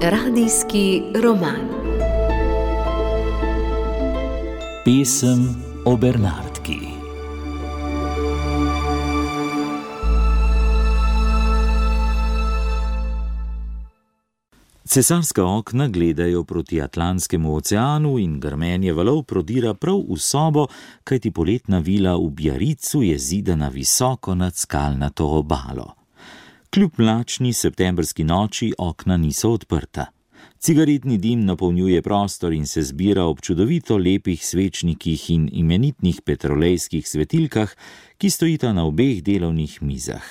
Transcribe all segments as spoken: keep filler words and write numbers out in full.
Radijski roman. Pesem o Bernardki. Cesarska okna gledajo proti Atlantskemu oceanu in grmenje valov prodira prav v sobo, kajti poletna vila v Biarizu je zidana visoko nad skalnato obalo. Kljub mlačni septembrski noči okna niso odprta. Cigaretni dim napolnjuje prostor in se zbira ob čudovito lepih svečnikih in imenitnih petrolejskih svetilkah, ki stojita na obeh delovnih mizah.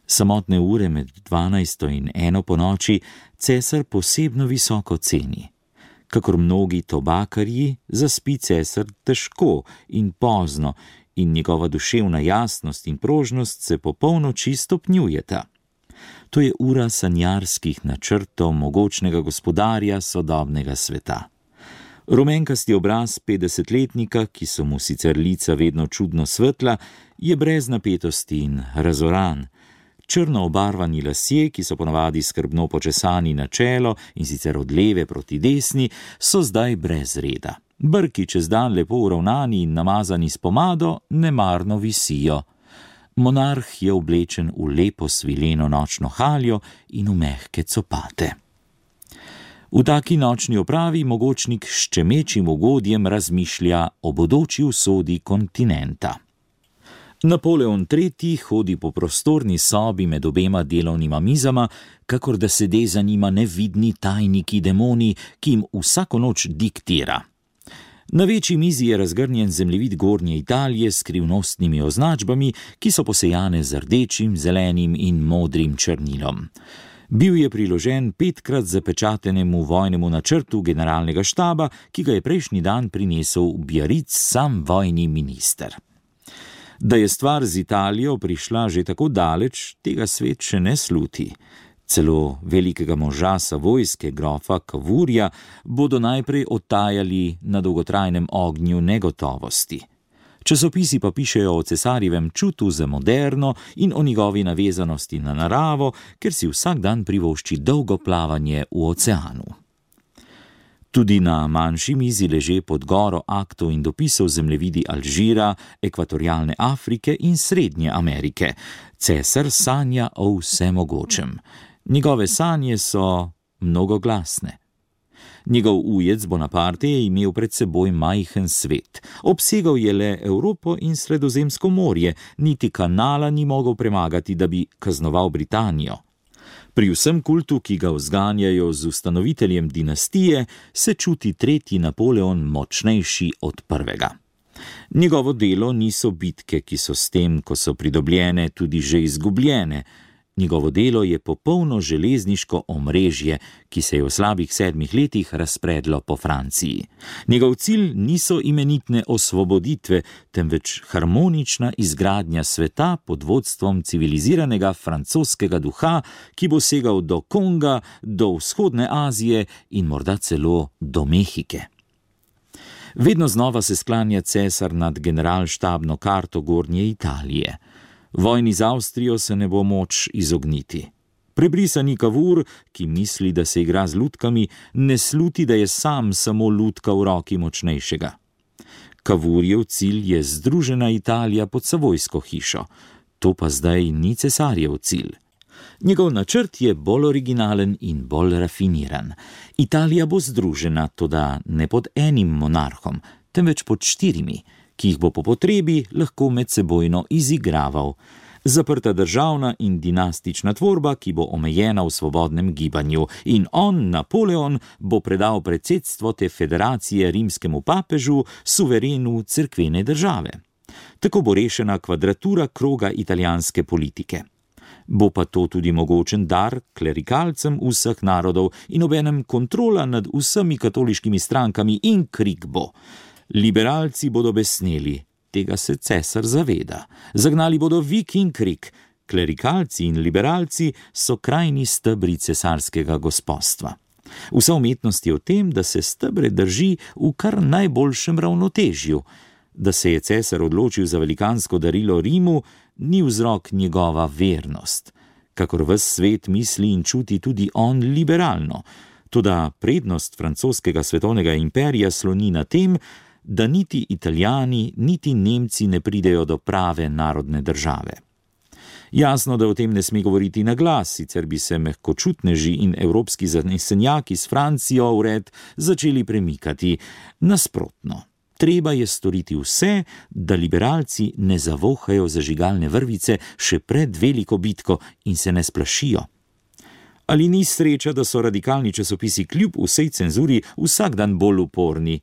Samotne ure med dvanajsto in eno po noči cesar posebno visoko ceni. Kakor mnogi tobakarji, zaspi cesar težko in pozno in njegova duševna jasnost in prožnost se po polnoči stopnjujeta. To je ura sanjarskih načrtov mogočnega gospodarja sodobnega sveta. Rumenkasti obraz petdesetletnika, ki so mu sicer lica vedno čudno svetla, je brez napetosti in razoran. Črno obarvani lasje, ki so ponavadi skrbno počesani na čelo in sicer od leve proti desni, so zdaj brez reda. Brki čez dan lepo uravnani in namazani s pomado nemarno visijo. Monarh je oblečen v lepo svileno nočno haljo in v mehke copate. V taki nočni opravi mogočnik s ščemečim ugodjem razmišlja o bodoči usodi kontinenta. Napoleon tretji hodi po prostorni sobi med obema delovnima mizama, kakor da sede za njima nevidni tajniki demoni, ki jim vsako noč diktira. Na večji mizi je razgrnjen zemljevid Gornje Italije s skrivnostnimi označbami, ki so posejane z rdečim, zelenim in modrim črnilom. Bil je priložen petkrat zapečatenemu vojnemu načrtu generalnega štaba, ki ga je prejšnji dan prinesel v Biariz sam vojni minister. Da je stvar z Italijo prišla že tako daleč, tega svet še ne sluti. Celo velikega moža savojske grofa Cavourja bodo najprej odtajali na dolgotrajnem ognju negotovosti. Časopisi pa pišejo o cesarjevem čutu za moderno in o njegovi navezanosti na naravo, ker si vsak dan privošči dolgo plavanje v oceanu. Tudi na manjši mizi leže pod goro aktov in dopisov zemljevidi Alžira, ekvatorialne Afrike in Srednje Amerike. Cesar sanja o vsemogočem. Njegove sanje so mnogoglasne. Njegov ujec Bonaparte je imel pred seboj majhen svet. Obsegal je le Evropo in Sredozemsko morje, niti kanala ni mogel premagati, da bi kaznoval Britanijo. Pri vsem kultu, ki ga vzganjajo z ustanoviteljem dinastije, se čuti tretji Napoleon močnejši od prvega. Njegovo delo niso bitke, ki so s tem, ko so pridobljene, tudi že izgubljene. Njegovo delo je popolno železniško omrežje, ki se je v slabih sedmih letih razpredlo po Franciji. Njegov cilj niso imenitne osvoboditve, temveč harmonična izgradnja sveta pod vodstvom civiliziranega francoskega duha, ki bo segal do Konga, do vzhodne Azije in morda celo do Mehike. Vedno znova se sklanja cesar nad generalštabno karto Gornje Italije. Vojni z Avstrijo se ne bo moč izogniti. Prebrisani Cavour, ki misli, da se igra z lutkami, ne sluti, da je sam samo lutka v roki močnejšega. Cavourjev cilj je združena Italija pod savojsko hišo. To pa zdaj ni cesarjev cilj. Njegov načrt je bolj originalen in bolj rafiniran. Italija bo združena, toda ne pod enim monarhom, temveč pod štirimi, ki jih bo po potrebi lahko medsebojno izigraval. Zaprta državna in dinastična tvorba, ki bo omejena v svobodnem gibanju, in on, Napoleon, bo predal predsedstvo te federacije rimskemu papežu, suverenu cerkvene države. Tako bo rešena kvadratura kroga italijanske politike. Bo pa to tudi mogočen dar klerikalcem vseh narodov in obenem kontrola nad vsemi katoliškimi strankami in krik bo. Liberalci bodo besneli, tega se cesar zaveda. Zagnali bodo vik in krik. Klerikalci in liberalci so krajni stebri cesarskega gospostva. Vsa umetnost je v tem, da se stebre drži v kar najboljšem ravnotežju. Da se je cesar odločil za velikansko darilo Rimu, ni vzrok njegova vernost. Kakor ves svet misli in čuti tudi on liberalno. Toda prednost francoskega svetovnega imperija sloni na tem, da niti Italijani, niti Nemci ne pridejo do prave narodne države. Jasno, da o tem ne sme govoriti na glas, sicer bi se mehkočutneži in evropski zanesenjaki s Francijo v red začeli premikati. Nasprotno, treba je storiti vse, da liberalci ne zavohajo zažigalne vrvice še pred veliko bitko in se ne splašijo. Ali ni sreča, da so radikalni časopisi kljub vsej cenzuri vsak dan bolj uporni?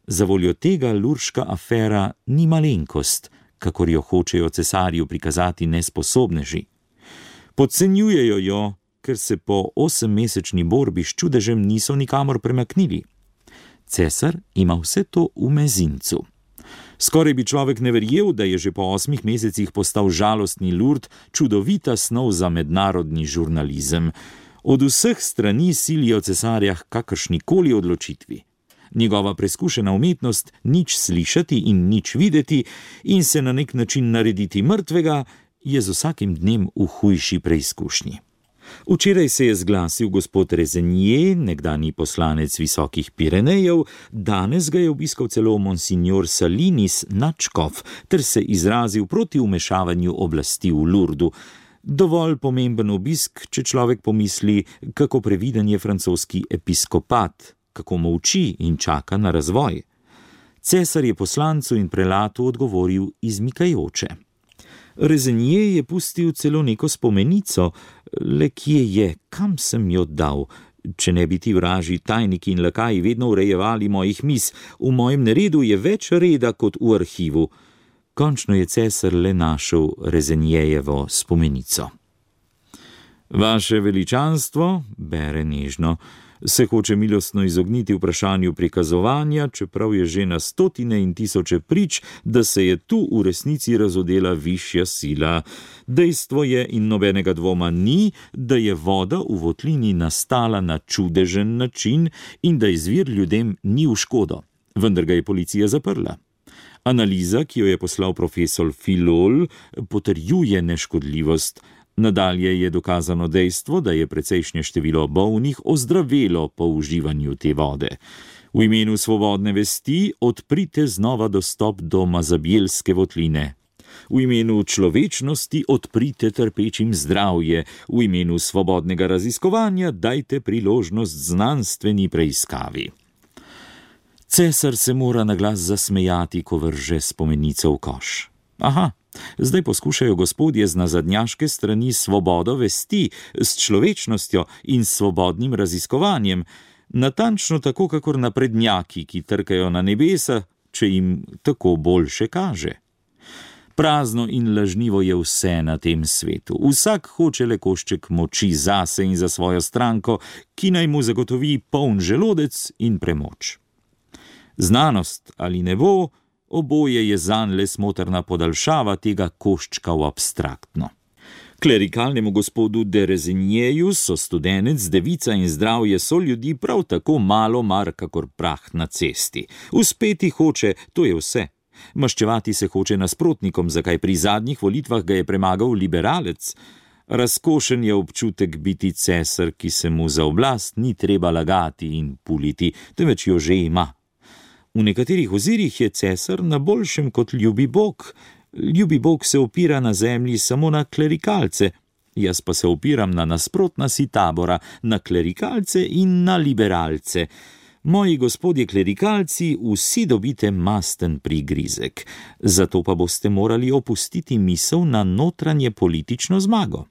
Zavoljo tega lurška afera ni malenkost, kakor jo hočejo cesarju prikazati nesposobneži. Podcenjujejo jo, ker se po osemmesečni borbi s čudežem niso nikamor premaknili. Cesar ima vse to v mezincu. Skoraj bi človek ne verjel, da je že po osmih mesecih postal žalostni Lurd čudovita snov za mednarodni žurnalizem. Od vseh strani silijo cesarja k kakršnikoli odločitvi. Njegova preskušena umetnost nič slišati in nič videti in se na nek način narediti mrtvega je z vsakim dnem v hujši preizkušnji. Včeraj se je zglasil gospod Rezenier, nekdanji poslanec Visokih Pirenejev, danes ga je obiskal celo monsignor Salinis Načkov, ter se izrazil proti vmešavanju oblasti v Lurdu. Dovolj pomemben obisk, če človek pomisli, kako previden je francoski episkopat, kako molči in čaka na razvoj. Cesar je poslancu in prelatu odgovoril izmikajoče. Rezenier je pustil celo neko spomenico, le kje je, kam sem jo dal, če ne bi ti vraži tajniki in lakaji vedno urejevali mojih mis, v mojem neredu je več reda kot v arhivu. Končno je cesar le našel Rezenierjevo spomenico. Vaše veličanstvo, bere nežno, se hoče milostno izogniti vprašanju prikazovanja, čeprav je že na stotine in tisoče prič, da se je tu v resnici razodela višja sila. Dejstvo je in nobenega dvoma ni, da je voda v votlini nastala na čudežen način in da izvir ljudem ni v škodo. Vendar ga je policija zaprla. Analiza, ki jo je poslal profesor Filol, potrjuje neškodljivost. Nadalje je dokazano dejstvo, da je precejšnje število bolnih ozdravelo po uživanju te vode. V imenu svobodne vesti odprite znova dostop do Mazabjelske votline. V imenu človečnosti odprite trpečim zdravje. V imenu svobodnega raziskovanja dajte priložnost znanstveni preiskavi. Cesar se mora na glas zasmejati, ko vrže spomenico v koš. Aha, zdaj poskušajo gospodje z nazadnjaške strani svobodo vesti, s človečnostjo in svobodnim raziskovanjem, natančno tako, kakor naprednjaki, ki trkajo na nebesa, če jim tako boljše kaže. Prazno in lažnivo je vse na tem svetu. Vsak hoče le košček moči zase in za svojo stranko, ki naj mu zagotovi poln želodec in premoč. Znanost ali nebo, oboje je zanj le smotrna podaljšava tega koščka v abstraktno. Klerikalnemu gospodu de Rezenierju so studenec, devica in zdravje so ljudi prav tako malo mar, kakor prah na cesti. Uspeti hoče, to je vse. Maščevati se hoče nasprotnikom, zakaj pri zadnjih volitvah ga je premagal liberalec. Razkošen je občutek biti cesar, ki se mu za oblast ni treba lagati in puliti, temveč jo že ima. V nekaterih ozirih je cesar na boljšem kot ljubi Bog. Ljubi Bog se opira na zemlji samo na klerikalce, jaz pa se opiram na nasprotna si tabora, na klerikalce in na liberalce. Moji gospodje klerikalci, vsi dobite masten prigrizek, zato pa boste morali opustiti misel na notranje politično zmago.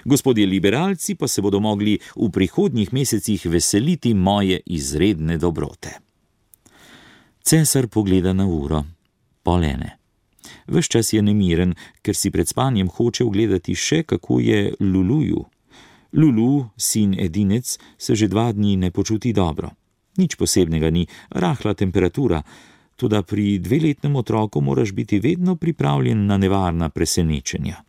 Gospodje liberalci pa se bodo mogli v prihodnjih mesecih veseliti moje izredne dobrote. Cesar pogleda na uro. Pol ene. Ves čas je nemiren, ker si pred spanjem hoče ugledati še, kako je Luluju. Lulu, sin edinec, se že dva dni ne počuti dobro. Nič posebnega ni, rahla temperatura, toda pri dveletnem otroku moraš biti vedno pripravljen na nevarna presenečenja.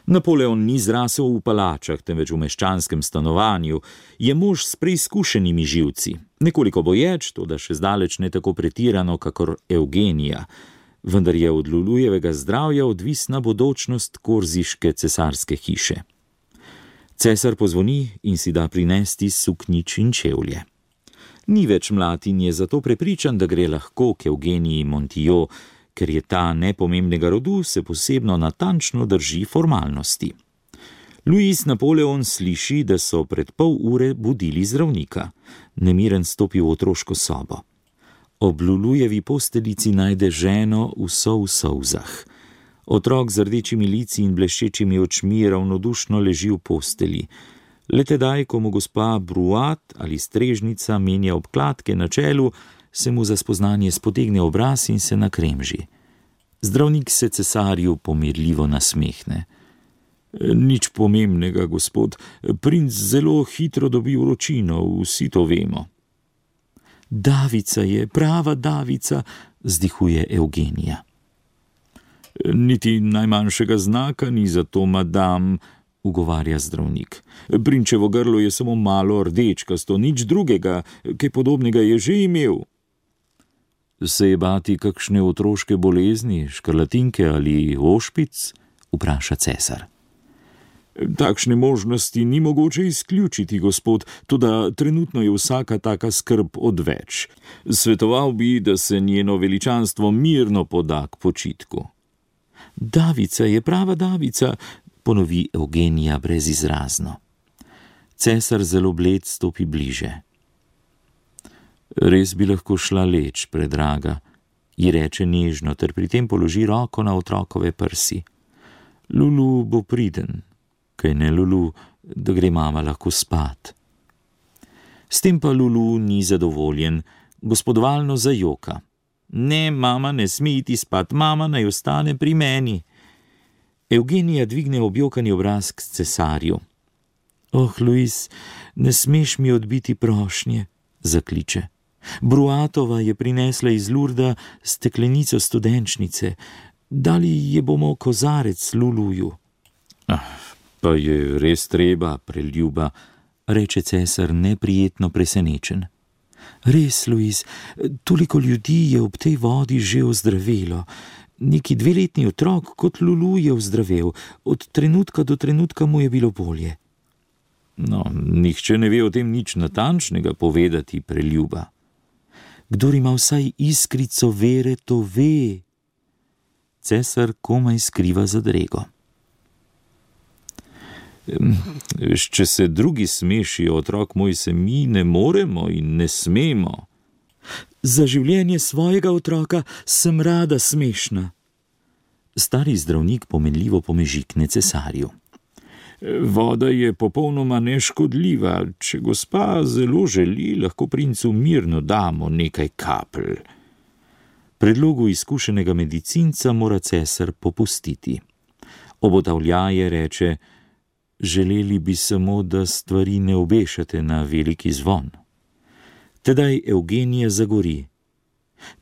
Napoleon ni zrasel v palačah, temveč v meščanskem stanovanju, je mož s preizkušenimi živci. Nekoliko boječ, toda še zdaleč ne tako pretirano, kakor Evgenija. vendar je od Lulujevega zdravja odvisna bodočnost korziške cesarske hiše. Cesar pozvoni in si da prinesti suknjič in čevlje. Ni več mlad in je zato prepričan, da gre lahko k Evgeniji Montillot, ker je ta nepomembnega rodu, se posebno natančno drži formalnosti. Louis Napoleon sliši, da so pred pol ure budili zdravnika. Nemiren stopi v otroško sobo. Ob Lulujevi posteljici najde ženo vso v solzah. Otrok z rdečimi lici in bleščečimi očmi ravnodušno leži v postelji. Le tedaj, ko mu gospa Bruat ali strežnica menja obkladke na čelu, se mu za spoznanje spotegne obraz in se nakremži. Zdravnik se cesarju pomirljivo nasmehne. Nič pomembnega, gospod, princ zelo hitro dobi vročino, vsi to vemo. Davica je, prava davica, vzdihuje Evgenija. Niti najmanjšega znaka ni za to, madam, ugovarja zdravnik. Prinčevo grlo je samo malo rdečkasto, nič drugega, kaj podobnega je že imel. Se je bati kakšne otroške bolezni, škrlatinke ali ošpic? Vpraša cesar. Takšne možnosti ni mogoče izključiti, gospod, toda trenutno je vsaka taka skrb odveč. Svetoval bi, da se njeno veličanstvo mirno poda k počitku. Davica je, prava davica, ponovi Evgenija brezizrazno. Cesar zelo bled stopi bliže. Res bi lahko šla leč, predraga, ji reče nežno, ter pri tem položi roko na otrokove prsi. Lulu bo priden. Kaj ne, Lulu, da gre mama lahko spat. S tem pa Lulu ni zadovoljen, gospodovalno zajoka. Ne, mama ne sme iti spat, mama naj ostane pri meni. Evgenija dvigne objokani obraz k cesarju. Oh, Louis, ne smeš mi odbiti prošnje, zakliče. Bruatova je prinesla iz Lurda steklenico studenčnice. Dali je bomo kozarec Luluju. Ah. Pa je res treba, preljuba, reče cesar neprijetno presenečen. Res, Louis, toliko ljudi je ob tej vodi že ozdravelo. Neki dveletni otrok kot Lulu je ozdravel, od trenutka do trenutka mu je bilo bolje. No, nihče ne ve o tem nič natančnega povedati, preljuba. Kdor ima vsaj iskrico vere, to ve. Cesar komaj skriva zadrego. Če se drugi smešijo, otrok moj, se mi ne moremo in ne smemo. Za življenje svojega otroka sem rada smešna. Stari zdravnik pomenljivo pomežikne cesarju. Voda je popolnoma neškodljiva. Če gospa zelo želi, lahko princu mirno damo nekaj kapelj. Predlogu izkušenega medicinca mora cesar popustiti. Obotavljaje reče: Želeli bi samo, da stvari ne obešate na veliki zvon. Tedaj Evgenija zagori.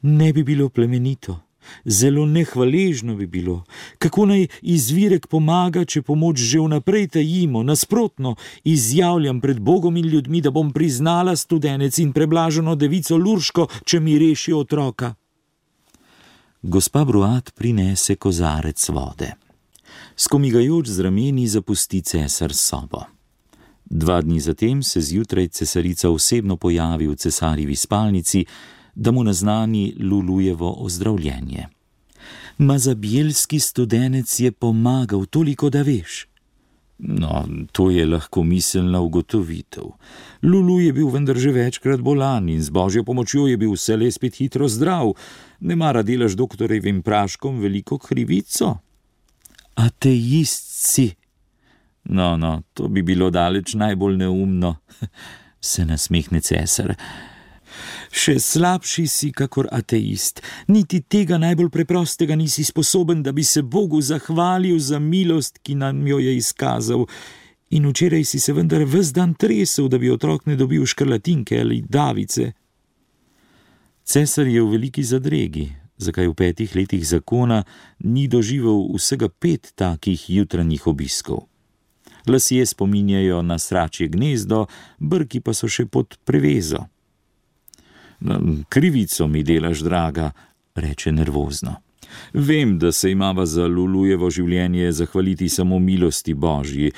Ne bi bilo plemenito, zelo nehvaležno bi bilo. Kako naj izvirek pomaga, če pomoč že vnaprej tajimo? Nasprotno, izjavljam pred Bogom in ljudmi, da bom priznala studenec in preblaženo devico Lurško, če mi reši otroka. Gospa Bruat prinese kozarec vode. Skomigajoč z rameni zapusti cesar sobo. Dva dni zatem se zjutraj cesarica osebno pojavi v cesarjevi spalnici, da mu naznani Lulujevo ozdravljenje. Mazabielski studenec je pomagal, toliko da veš. No, to je lahko miselna ugotovitev. Lulu je bil vendar že večkrat bolan in z božjo pomočjo je bil vselej spet hitro zdrav. Ne mara delaš doktorjevim praškom veliko krivico? Ateist si. No, no, to bi bilo daleč najbolj neumno, se nasmehne cesar. Še slabši si kakor ateist. Niti tega najbolj preprostega nisi sposoben, da bi se Bogu zahvalil za milost, ki nam jo je izkazal. In včeraj si se vendar ves dan tresel, da bi otrok ne dobil škrlatinke ali davice. Cesar je v veliki zadregi, zakaj v petih letih zakona ni doživel vsega pet takih jutranjih obiskov. Lasje spominjajo na sračje gnezdo, brki pa so še pod prevezo. Krivico mi delaš, draga, reče nervozno. Vem, da se imava za Lulujevo življenje zahvaliti samo milosti Božji.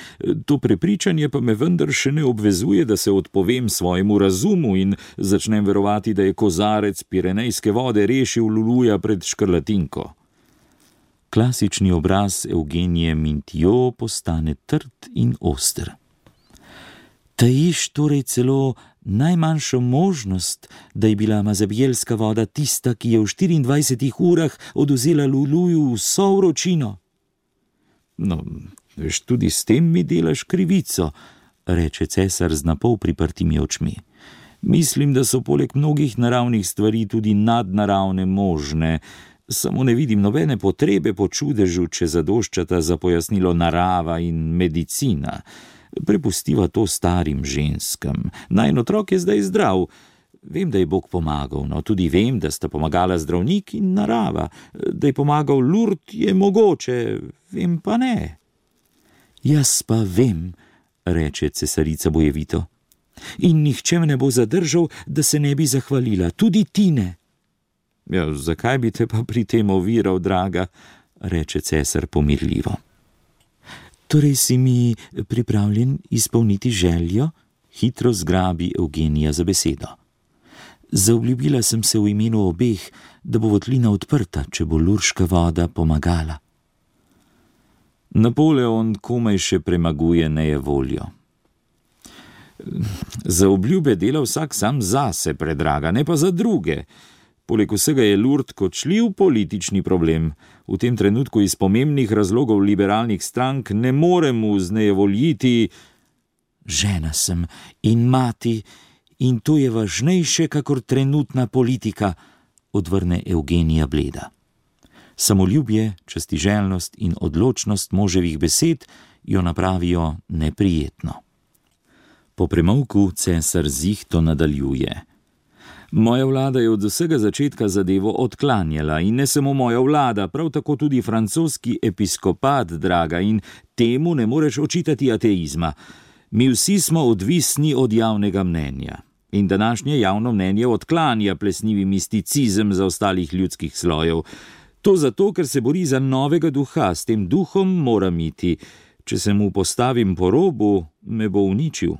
To prepričanje pa me vendar še ne obvezuje, da se odpovem svojemu razumu in začnem verovati, da je kozarec pirenejske vode rešil Luluja pred škrlatinko. Klasični obraz Eugenije Mintio postane trd in oster. Tajiš torej celo najmanjšo možnost, da je bila mazabjelska voda tista, ki je v štiriindvajsetih urah odvzela Luluju vso vročino. No, veš, tudi s tem mi delaš krivico, reče cesar z napol priprtimi očmi. Mislim, da so poleg mnogih naravnih stvari tudi nadnaravne možne, samo ne vidim nobene potrebe po čudežu, če zadoščata za pojasnilo narava in medicina. Prepustiva to starim ženskam. Najin otrok je zdaj zdrav. Vem, da je Bog pomagal, no tudi vem, da sta pomagala zdravnik in narava. Da je pomagal Lurd, je mogoče, vem pa ne. Jaz pa vem, reče cesarica bojevito. In nihče me ne bo zadržal, da se ne bi zahvalila, tudi ti ne. Ja, zakaj bi te pa pri tem oviral, draga, reče cesar pomirljivo. Torej si mi pripravljen izpolniti željo? Hitro zgrabi Eugenija za besedo. Zaobljubila sem se v imenu obeh, da bo votlina odprta, če bo lurška voda pomagala. Napoleon komaj še premaguje nejevoljo. Za obljube dela vsak sam zase, predraga, ne pa za druge. Poleg vsega je Lurd kočljiv politični problem. V tem trenutku iz pomembnih razlogov liberalnih strank ne moremo vznejevoljiti. Žena sem in mati, in to je važnejše kakor trenutna politika, odvrne Eugenija bleda. Samoljubje, častiželjnost in odločnost moževih besed jo napravijo neprijetno. Po premolku cesar zihto nadaljuje. Moja vlada je od vsega začetka zadevo odklanjala in ne samo moja vlada, prav tako tudi francoski episkopat, draga, in temu ne moreš očitati ateizma. Mi vsi smo odvisni od javnega mnenja in današnje javno mnenje odklanja plesnivi misticizem za ostalih ljudskih slojev. To zato, ker se bori za novega duha, s tem duhom moram iti. Če se mu postavim po robu, me bo uničil.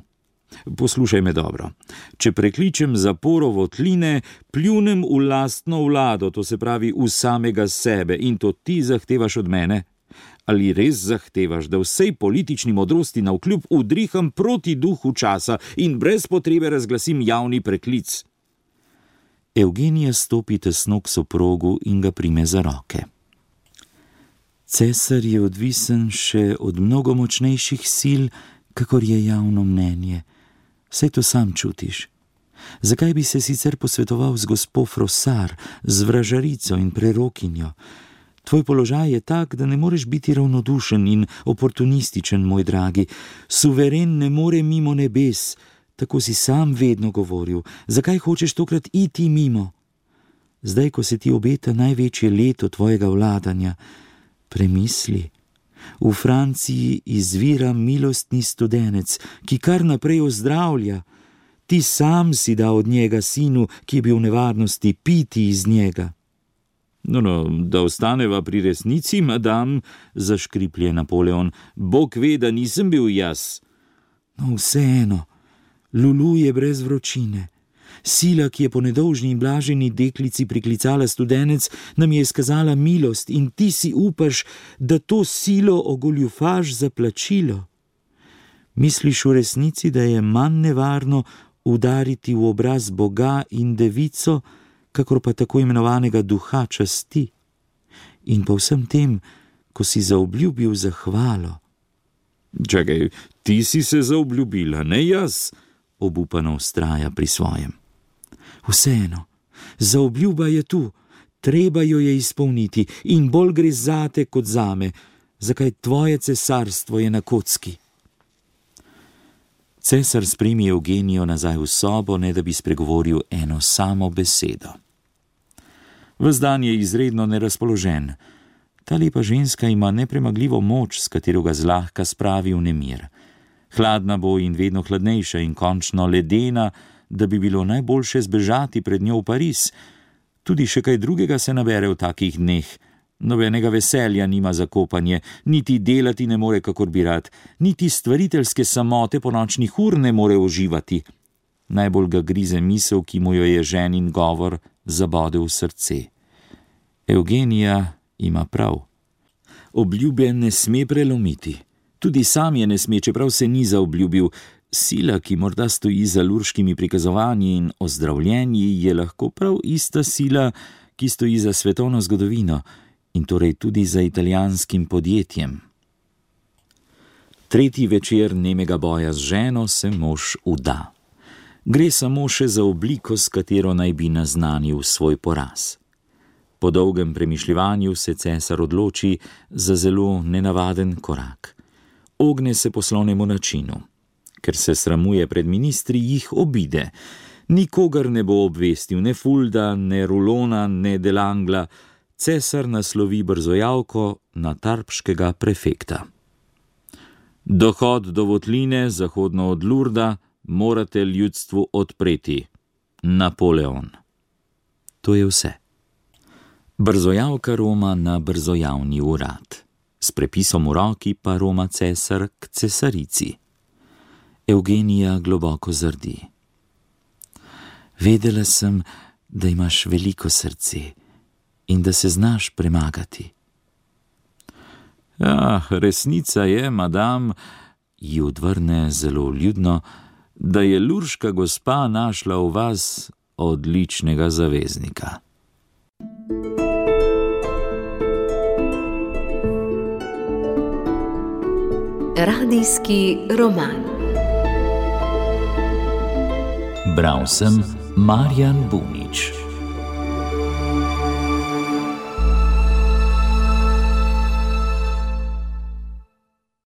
Poslušaj me dobro. Če prekličem zaporo votline, pljunem v lastno vlado, to se pravi v samega sebe, in to ti zahtevaš od mene? Ali res zahtevaš, da vsej politični modrosti navkljub udriham proti duhu časa in brez potrebe razglasim javni preklic? Eugenija stopi tesno k soprogu in ga prime za roke. Cesar je odvisen še od mnogo močnejših sil, kakor je javno mnenje. Saj to sam čutiš. Zakaj bi se sicer posvetoval z gospo Frosar, z vražarico in prerokinjo? Tvoj položaj je tak, da ne moreš biti ravnodušen in oportunističen, moj dragi. Suveren ne more mimo nebes, tako si sam vedno govoril. Zakaj hočeš tokrat iti mimo? Zdaj, ko se ti obeta največje leto tvojega vladanja, premisli. V Franciji izvira milostni studenec, ki kar naprej ozdravlja. Ti sam si dal od njega sinu, ki je bil v nevarnosti, piti iz njega. No, no, da ostaneva pri resnici, madam, zaškriplje Napoleon. Bog ve, da nisem bil jaz. No, vseeno, Lulu je brez vročine. Sila, ki je po nedolžni in blaženi deklici priklicala studenec, nam je izkazala milost in ti si upaš, da to silo ogoljufaš za plačilo. Misliš v resnici, da je manj nevarno udariti v obraz Boga in devico, kakor pa tako imenovanega duha časti? In po vsem tem, ko si zaobljubil zahvalo. Čakaj, ti si se zaobljubila, ne jaz, obupano vztraja pri svojem. Vseeno, zaobljuba je tu, treba jo je izpolniti in bolj gre zate kot zame, zakaj tvoje cesarstvo je na kocki. Cesar spremi Eugenijo nazaj v sobo, ne da bi spregovoril eno samo besedo. Ves dan je izredno nerazpoložen. Ta lepa ženska ima nepremagljivo moč, s katero ga zlahka spravi v nemir. Hladna bo in vedno hladnejša in končno ledena, da bi bilo najboljše zbežati pred njo v Pariz. Tudi še kaj drugega se nabere v takih dneh, Nobenega veselja nima za kopanje, niti delati ne more, kakor bi rad, niti stvariteljske samote po nočnih ur ne more uživati. Najbolj ga grize misel, ki mu jo je ženin govor zabodel v srce. Evgenija ima prav. Obljube ne sme prelomiti. Tudi sam je ne sme, čeprav se ni zaobljubil. Sila, ki morda stoji za lurškimi prikazovanji in ozdravljenji, je lahko prav ista sila, ki stoji za svetovno zgodovino in torej tudi za italijanskim podjetjem. Tretji večer nemega boja z ženo se mož vda. Gre samo še za obliko, s katero naj bi naznanil svoj poraz. Po dolgem premišljevanju se cesar odloči za zelo nenavaden korak. Ogne se poslovnemu načinu. Ker se sramuje pred ministri, jih obide. Nikogar ne bo obvestil, ne Fulda, ne Rulona, ne Delangla. Cesar naslovi brzojavko na tarbškega prefekta. Dohod do votline, zahodno od Lurda, morate ljudstvu odpreti. Napoleon. To je vse. Brzojavka roma na brzojavni urad. S prepisom v roki pa roma cesar k cesarici. Evgenija globoko zardi. Vedela sem, da imaš veliko srce in da se znaš premagati. Ja, resnica je, madam, ji odvrne zelo vljudno, da je lurška gospa našla v vas odličnega zaveznika. Radijski roman. Bral sem Marjan Bunič.